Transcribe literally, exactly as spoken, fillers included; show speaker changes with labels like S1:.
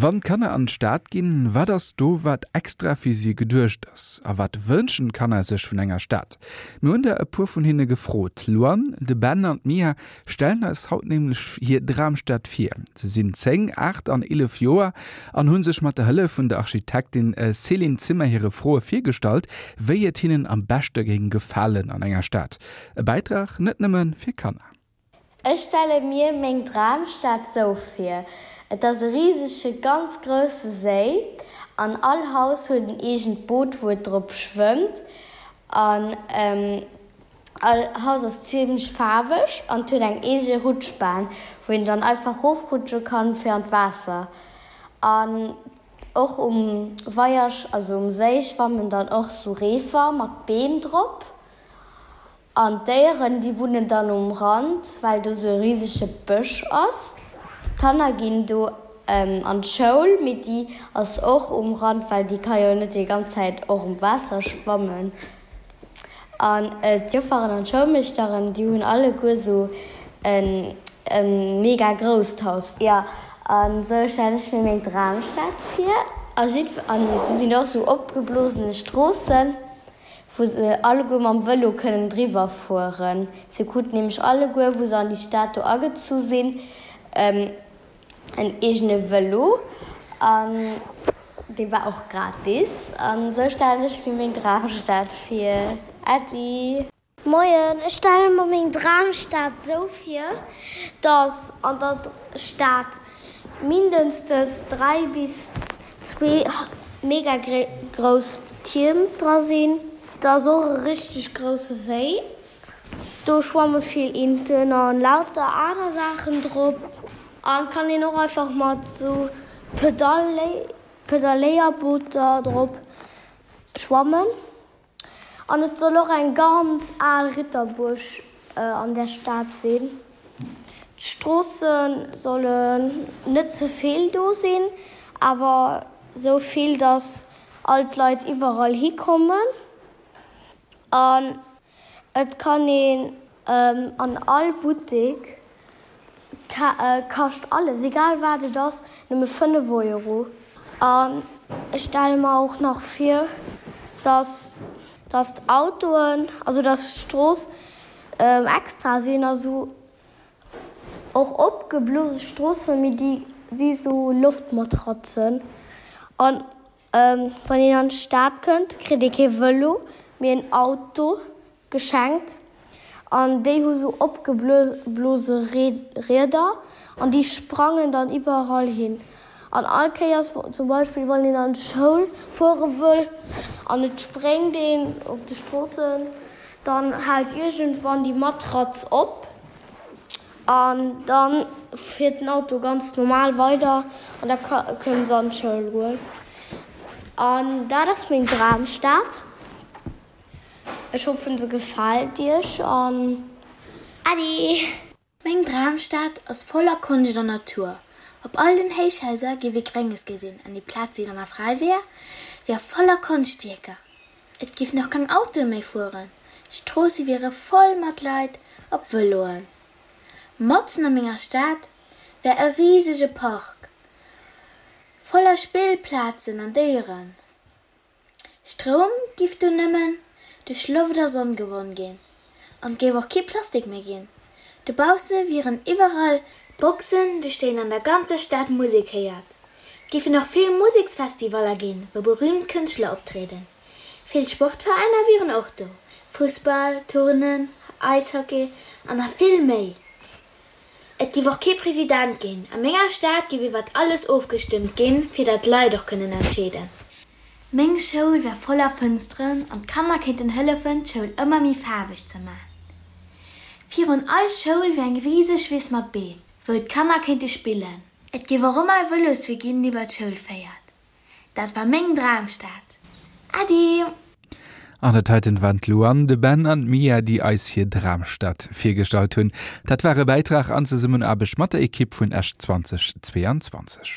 S1: Wann d'Kanner an d'Stad ginn, wat ass do wat extra fir si geduecht ass? A wat wënschen d'Kanner sech vun enger Stad? Mir hunn der e puer vun hinne gefrot. D'Luan, de Ben an d'Mia stellen eis haut nämlech hir Dramstad vir. Se sinn zéng, aacht an eelef Joer an hunn sech mat der Hëllef vun der Architektin Céline Zimmer hire Froe virgestallt, wéi et hinnen am beschte géing gefalen an enger Stad. E Bäitrag net nëmme fir Kanner.
S2: Ech stelle mir meng Dramstad sou vir, Et ass e risege ganz grousse Séi an all Haus huet en eegent Boot wou et drop schwëmmt an all Haus ass zimlech faarweg an et huet eng eege Rutschbahn wou een dann einfach rofrutsche kann fir an d'Waasser an och um Weier also um Séi schwammen dann och sou Reefer mat Beem drop. An d'Déieren, déi wunnen dann um Rand, well do sou e risege Bësch ass. D'Kanner ginn do an d'Schoul, mee déi ass och um Rand, well déi ka jo net déi ganz Zäit och um Waasser schwammen. An d'Jofferen an d'Schoulmeeschteren, déi hunn alleguer sou e mega grousst Haus. Jo, an sou stellen ech mir meng Dramstad vir. A jiddwer, an do sinn och sou opgeblosene Stroossen. Wou se alleguer mam Vëlo kënnen driwwer fueren. Se kruten nämlech alleguer, wou se an déi Stad do agezu sinn, en eegene Vëlo an dee war och gratis. An esou stellen ech mir meng Dramstad vir. Äddi!
S3: Moien, ech stelle mer meng Dramstad esou vir, dass an der Stad mindestens dräi bis zwee mega grouss Tierm dra sinn. Da ass och e richteg grousse Séi. Do schwamme vill Inten an lauter aner Saachen drop. An kann een och einfach mat sou Pedaléierbooter drop schwammen. An et soll och eng ganz al Ritterbuerg an där Stad sinn. D'Stroosse sollen net ze vill do sinn, awer sou vill, datt all d'Leit iwwerall hikommen. An et kann een an all Buttek, kascht alles, egal wat et ass, nëmme fënnef Euro. An ech stelle mer och nach vir, datt datt d'Autoen, also datt d'Strooss extra sinn, also och opgeblose Stroossen, mee déi si sou Loftmatratzen. An wann een an d'Stad kënnt, kritt ee kee Vëlo, mee en Auto geschenkt. An déi hu sou opgeblose Rieder an déi sprangen dann iwwerall hin. An all Kéiers, zum Beispill wann een an d'Schoul fuere wëll an et spréngt een op de Stroossen, dann hält iergendwann déi Matratz op an da fiert den Auto ganz normal weider an da kënne se an d'Schoul goen. An dat ass meng Dramstad. Ech hoffen se gefält iech an Äddi!
S4: Meng Dramstad ass voller Konscht an Natur. Op all den Héichhaiser géif ee Grénges gesinn an déi Plaz, déi dann nach fräi wier, wier voller Konschtwierker. Et géifen och keng Autoe méi fueren, d'Stroosse wiere voll mat Leit op Vëloen. Matzen a menger Stad wär e risege Park voller Spillplazen an Déieren. Stroum giff do nëmmen duerch Loft a Sonn gewonn ginn an et géif och kee Plastik méi ginn. Dobausse wieren iwwerall Boxen, duerch déi een an der ganzer Stad Musek héiert. Et géifen och vill Museksfestivaller ginn, wou berüümt Kënschtler optrieden. Vill Sportveräiner wieren och do, Fussball, Turnen, Eishockey an nach vill méi. Et giff och kee President ginn. A menger Stad giff iwwert alles ofgestëmmt ginn, fir dat d'Leit och kënnen entscheeden. Meng Schoul wär voller Fënsteren an d'Kanner kéinten hëllefen d'Schoul ëmmer méi faarweg ze man. Virun all Schoul wär eng riseg Wiss mat Beem, wou d'Kanner kéinte spillen. Et giff och ëmmer e Vëloswee ginn, dee bei d'Schoul féiert. Dat war meng Dramstad. Äddi!
S1: An dat heiten waren d'Luan, de Ben an d'Mia, déi eis hir Dramstad virgestallt hunn. Dat war e Bäitrag an Zesummenaarbecht mat der Ekipp vun Esch zwanzeg zweeanzwanzeg.